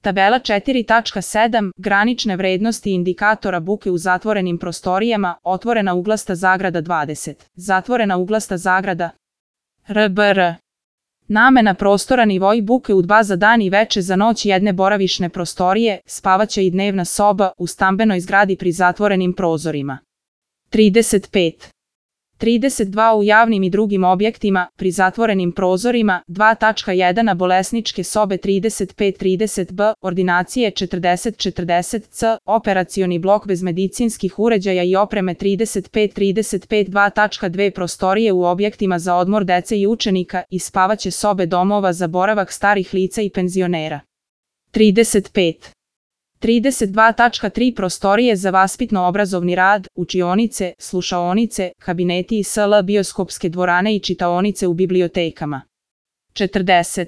Tabela 4.7. Granične vrednosti indikatora buke u zatvorenim prostorijama, otvorena uglasta zagrada 20, zatvorena uglasta zagrada RBR. Namena prostora nivoi buke u 2 za dan i veče za noć jedne boravišne prostorije, spavaća i dnevna soba u stambenoj zgradi pri zatvorenim prozorima. 35. 32 u javnim i drugim objektima, pri zatvorenim prozorima, 2.1 na bolesničke sobe 35-30b, ordinacije 40-40c, operacioni blok bez medicinskih uređaja i opreme 35-35 2.2 prostorije u objektima za odmor dece i učenika i spavaće sobe domova za boravak starih lica i penzionera. 35. 32.3 prostorije za vaspitno-obrazovni rad, učionice, slušaonice, kabineti i sl. Bioskopske dvorane i čitaonice u bibliotekama. 40.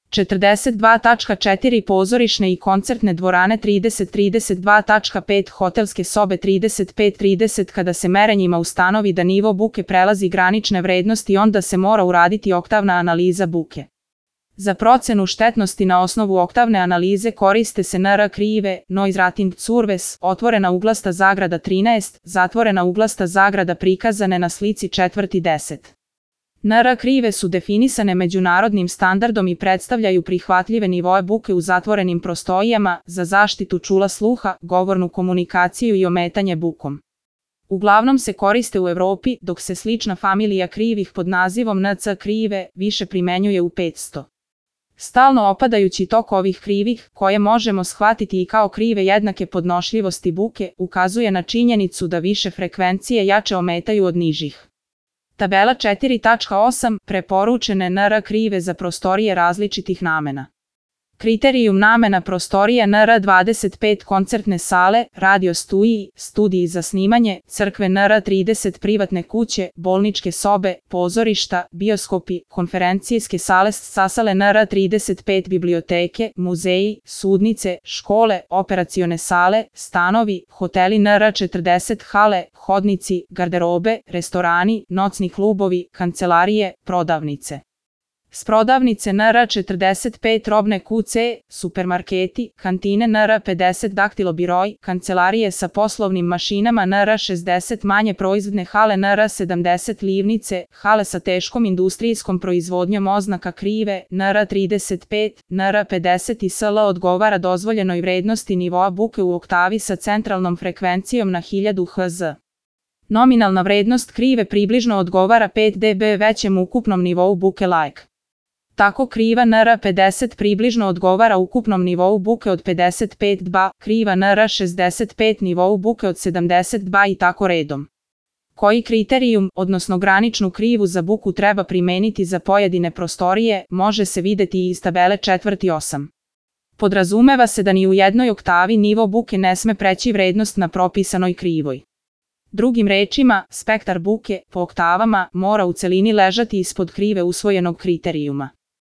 42.4 pozorišne i koncertne dvorane 30-32.5 hotelske sobe 35-30 Kada se merenjima ustanovi da nivo buke prelazi granične vrednosti onda se mora uraditi oktavna analiza buke. Za procenu štetnosti na osnovu oktavne analize koriste se NR krive, Noise Rating Curves, otvorena uglasta zagrada 13, zatvorena uglasta zagrada prikazane na slici 4.10. NR krive su definisane međunarodnim standardom i predstavljaju prihvatljive nivoe buke u zatvorenim prostorijama za zaštitu čula sluha, govornu komunikaciju i ometanje bukom. Uglavnom se koriste u Evropi, dok se slična familija krivih pod nazivom NC krive više primenjuje u 500. Stalno opadajući tok ovih krivih, koje možemo shvatiti i kao krive jednake podnošljivosti buke, ukazuje na činjenicu da više frekvencije jače ometaju od nižih. Tabela 4.8. Preporučene NR krive za prostorije različitih namena. Kriterijum namena prostorija NR25 koncertne sale, radio studiji, studiji za snimanje, crkve NR30 privatne kuće, bolničke sobe, pozorišta, bioskopi, konferencijske sale sasale NR35 biblioteke, muzeji, sudnice, škole, operacione sale, stanovi, hoteli NR40 hale, hodnici, garderobe, restorani, nocni klubovi, kancelarije, prodavnice. S prodavnice NR45 robne kuće, supermarketi, kantine NR50 daktilobiroj, kancelarije sa poslovnim mašinama NR60 manje proizvodne hale NR70 livnice, hale sa teškom industrijskom proizvodnjom oznaka krive, NR35, NR50 i sl. Odgovara dozvoljenoj vrednosti nivoa buke u oktavi sa centralnom frekvencijom na 1000 Hz. Nominalna vrednost krive približno odgovara 5 dB većem ukupnom nivou buke like. Tako kriva NR50 približno odgovara ukupnom nivou buke od 55 dB, kriva NR65 nivou buke od 70 dB i tako redom. Koji kriterijum, odnosno graničnu krivu za buku treba primeniti za pojedine prostorije, može se videti i iz tabele 4.8. Podrazumeva se da ni u jednoj oktavi nivo buke ne sme preći vrednost na propisanoj krivoj. Drugim rečima, spektar buke, po oktavama, mora u celini ležati ispod krive usvojenog kriterijuma.